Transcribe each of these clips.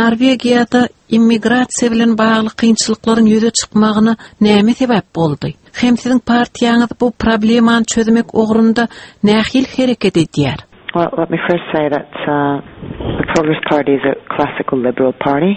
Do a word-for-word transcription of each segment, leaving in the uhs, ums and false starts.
Norwegiýada immigrasiýa bilen bagly kynçylyklaryň ýüze çykmagyna näme sebäp boldy? Hem siziň partiýaňyz bu problemany çözmek ugrunda nähili hereket edýär? Well, let me first say that uh, the Progress Party is a classical liberal party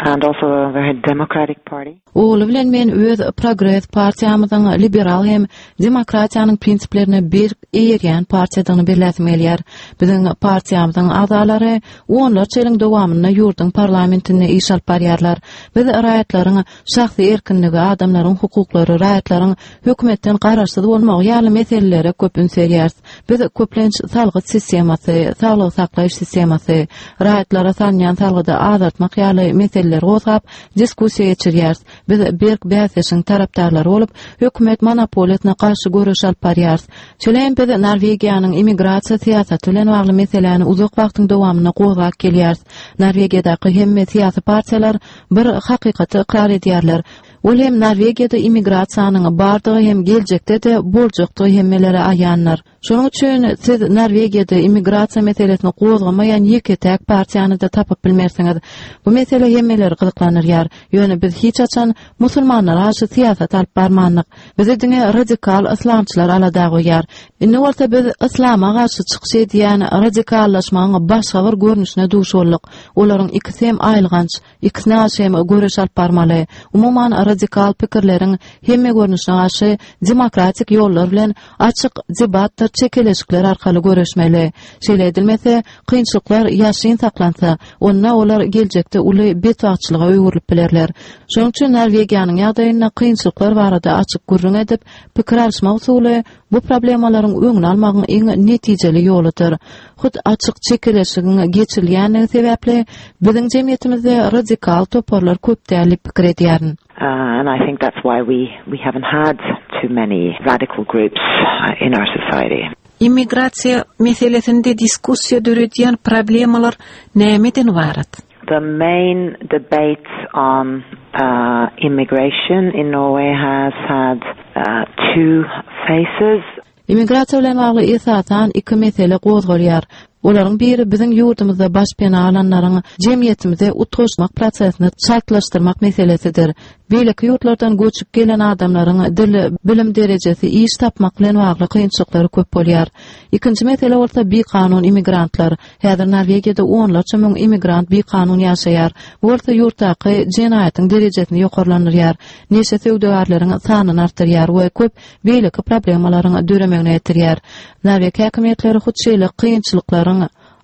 and also a very democratic party. Ogly bilen men öz Progress partiýamyzyň liberal hem demokratiýanyň prinsiplerine berk eýerýän partiýadygyny belläsim gelýär. Biziň partiýamyzyň agzalary onlarça ýylyň dowamynda ýurduň parlamentinde iş alyp barýarlar. Biz raýatlaryň şahsy erkinligi, adamlaryň hukuklary, raýatlaryň hökümetden garaşsyz bolmagy ýaly meselelere köp üns berýäris. Biz köplenç salgyt sistemasy, saglygy saklaýyş sistemasy, raýatlara salynýan salgydy azaltmak ýaly meseleleri gozgap diskussiýa geçirýäris. Biz berk bäsdeşiň tarapdarlary bolup, hökümet monopoliýasyna garşy göreş alyp barýarys. Şeýle hem biz Norwegiýanyň immigrasiýa syýasaty bilen bagly meseläni uzak wagtyň dowamynda gozgap gelýäris. Norwegiýadaky hemme syýasy partiýalar bir hakykaty ykrar edýärler. Ol hem Norwegiýada immigrasiýanyň bardygy hem geljekde-de boljakdygy hemmelere aýandyr. Şonuň üçin siz Norwegiýada immigrasiýa meselesini gozgamaýan ýeke-täk partiýany-da tapyp bilmersiňiz. Bu mesele hemmeleri gyzyklandyrýar. Ýöne biz hiç haçan musulmanlara garşy syýasat alyp barmandyk. Bizi diňe radikal yslamçylar alada goýýar. Indi bolsa biz yslama garşy çykyş edýän radikallaşmagyň başga bir görnüşine duş bolduk. Olaryň ikisi hem aýylganç, ikisine garşy hem göreş alyp barmaly. Umuman radikal pikirleriň hemme görnüşine garşy demokratik ýollar bilen açyk debatlar, çekeleşikler arkaly göreşmeli. Şeýle edilmese, kynçylyklar ýaşyryn saklansa, onda olar geljekde uly betbagtçylyga öwrülip bilerler. Şonuň üçin Norwegiýanyň ýagdaýynda kynçylyklar barada açyk gürrüň edip, pikir alyşmak usuly bu problemalaryň öňüni almagyň iň netijeli ýoludyr. Hut açyk çekeleşigiň geçirilýänligi sebäpli biziň jemgyýetimizde radikal toparlar köp däl diýip pikir edýärin. Uh, and I think that's why we, we haven't had too many radical groups uh, in our society. Immigrasiýa meselesinde diskussiýa döredýän problemalar nämeden ybarat? The main debate on uh, immigration in Norway has had uh, two faces. Immigrasiýa bilen bagly esasan iki mesele gozgalýar. Olaryň biri biziň ýurdumyzda başpena alanlaryň jemgyýetimize utgaşmak prosesini çaltlaşdyrmak meselesidir. Beýleki ýurtlardan göçüp gelen adamlaryň dil, bilim derejesi, iş tapmak bilen bagly kynçylyklary köp bolýar. Ikinji mesele bolsa bikanun immigrantlar. Häzir Norwegiýada onlarça müň immigrant bikanun ýaşaýar. Bu bolsa ýurtdaky jenaýatyň derejesini ýokarlandyrýar. Neşe söwdagärleriň sanyny artdyrýar we köp beýleki problemalaryň döremegine getirýär. Norweg häkimiýetleri hut şeýle kynçylyklaryň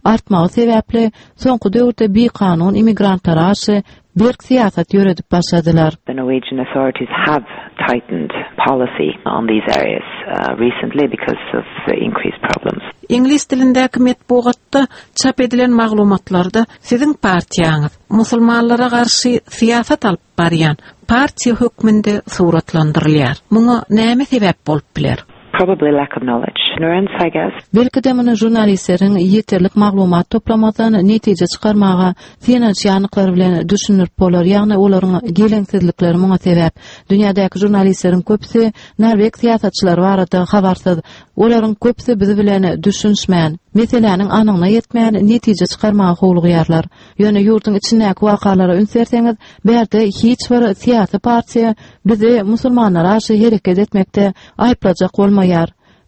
artmagy sebäpli soňky döwürde bikanun immigrantlara garşy berk syýasat ýöredip başladylar. The Norwegian authorities have tightened policy on these areas uh, recently because of the increased problems. Iňlis dilindäki metbugatda çap edilen maglumatlarda siziň partiýaňyz musulmanlara garşy syýasat alyp barýan partiýa hökmünde suratlandyrylýar. Muňa näme sebäp bolup biler? Probably lack of knowledge. Ignorance, I guess. Belki-de muny žurnalistleriň ýeterlik maglumat toplamadan netije çykarmaga synanyşýandyklary bilen düşündirip bolar, ýagny olaryň geleňsizlikleri muňa sebäp. Dünýädäki žurnalistleriň köpüsi norweg syýasatçylary barada habarsyz. Olaryň köpüsi biz bilen düşünişmän, meseläniň anygyna ýetmän netije çykarmaga howlugýarlar. Ýöne ýurduň içindäki wakalara üns berseňiz, bärde hiç bir syýasy partiýa bizi musulmanlara garşy hereket etmekde aýyplajak bolmaýar.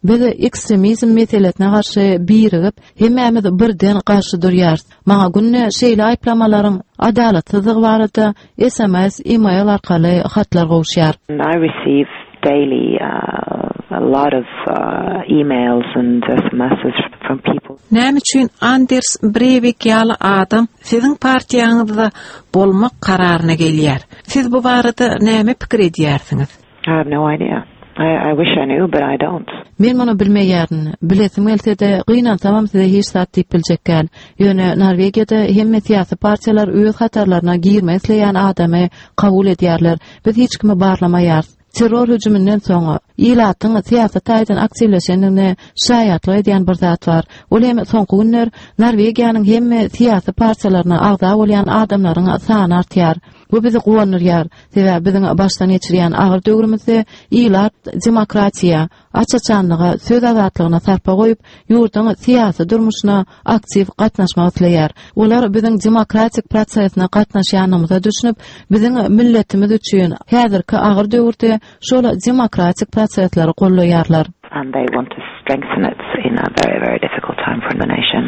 Biz ekstremizm meselesine garşy birigip, hemmämiz birden garşy durýarys. Maňa günde şeýle aýyplamalaryň adalatsyzlygy barada S M S, e-mail arkaly hatlar gowuşýar. And I receive daily uh, a lot of uh, emails and S M Ss from people. Näme üçin Anders Breivik ýaly adam siziň partiýaňyzda bolmak kararyna gelýär? Siz bu barada näme pikir edýärsiňiz? I have no idea. I, I wish I knew, but I don't. Men muny bilmeýärin. Bilesim gelse-de, gynansamam size hiç zat diýip biljek däl. Ýöne Norwegiýada hemme syýasy partiýalar öz hatarlaryna girmek isleýän adamy kabul edýärler. Biz hiç kimi barlamaýarys. Terror hüjüminden soňra ilatyň syýasy taýdan aktiwleşendigine şaýatlyk edýän bir zat bar. Ol hem soňky günler Norwegiýanyň hemme syýasy partiýalaryna agza bolýan adamlaryň sany artýar. Bu bizi guwandyrýar. Sebäbi biziň başdan geçirýän agyr döwrümizde ilat demokratiýa, aç-açanlyga, söz azatlygyna sarpa goýup, ýurduň syýasy durmuşyna aktiw gatnaşmak isleýär. Olar biziň demokratik prosesine gatnaşýanymyza düşünip, biziň milletimiz üçin häzirki agyr döwürde şol demokratik prosesleri gollaýarlar. And they want to strengthen it in a very, very difficult time for the nation.